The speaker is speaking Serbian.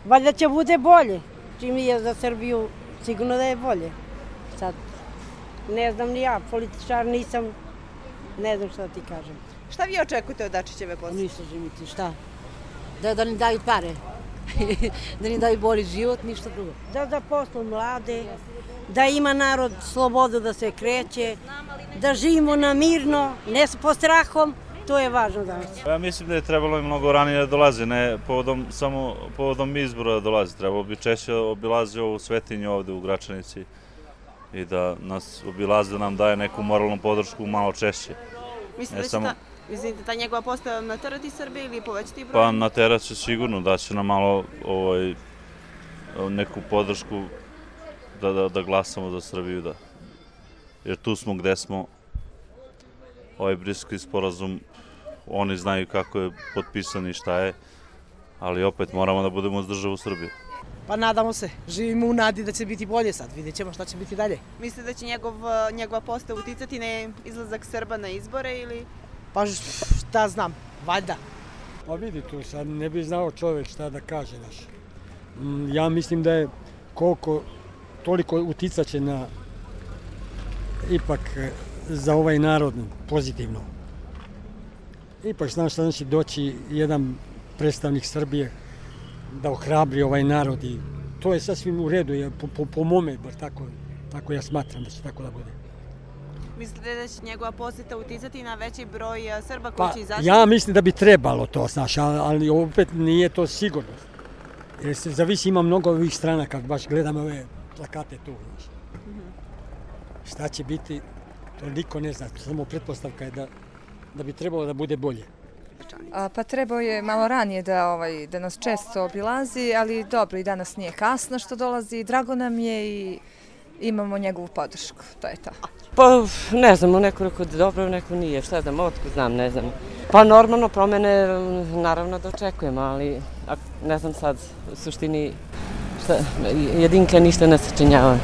Valjda će bude bolje. Čim je za Srbiju, sigurno da je bolje. Sad, ne znam ni ja, političar nisam, ne znam šta ti kažem. Šta vi očekujete od Dačićeve posete? Ništa živiti, šta? Da ne daju pare, da ne daju bolji život, ništa drugo. Da zaposlu mlade, da ima narod slobodu da se kreće, da živimo na mirno, ne po strahom, to je važno danas. Ja mislim da je trebalo i mnogo ranije da dolazi, ne samo povodom izbora da dolazi. Trebalo bi češće obilazi ovu svetinju ovde u Gračanici i da nas obilazi, da nam daje neku moralnu podršku malo češće. Mislite da će ta njegova postava naterati Srbije ili povećati broj? Pa naterat će sigurno, da će nam malo neku podršku da glasamo za Srbiju, da. Jer tu smo gde smo, ovaj Briselski sporazum, oni znaju kako je potpisan i šta je, ali opet moramo da budemo uz državu Srbiju. Pa nadamo se, živimo u nadi da će biti bolje sad, vidjet ćemo šta će biti dalje. Mislite da će njegova postava uticati na izlazak Srba na izbore ili? Pa šta znam, valjda. Pa vidi tu sad, ne bi znao čovjek šta da kaže naš. Ja mislim da je toliko uticat će na ipak za ovaj narod pozitivno. Ipak znam šta znači doći jedan predstavnik Srbije da ohrabri ovaj narod i to je sasvim u redu, po mome, bar tako ja smatram da će tako da bude. Mislite da će njegova poseta uticati na veći broj Srba koji će izaći? Ja mislim da bi trebalo to, znaš, ali opet nije to sigurno. Jer se zavisi, ima mnogo ovih strana, kad baš gledam ove plakate tu, znaš. Šta će biti, to niko ne zna, samo pretpostavka je da bi trebalo da bude bolje. Pa trebao je malo ranije da nas često obilazi, ali dobro, i danas nije kasno što dolazi, drago nam je i imamo njegovu podršku, to je to. Pa ne znam, neko rekao da dobro, neko nije, šta znam, otko znam, ne znam. Pa normalno promene naravno da očekujemo, ali ne znam sad u suštini jedinka ništa ne sačinjava.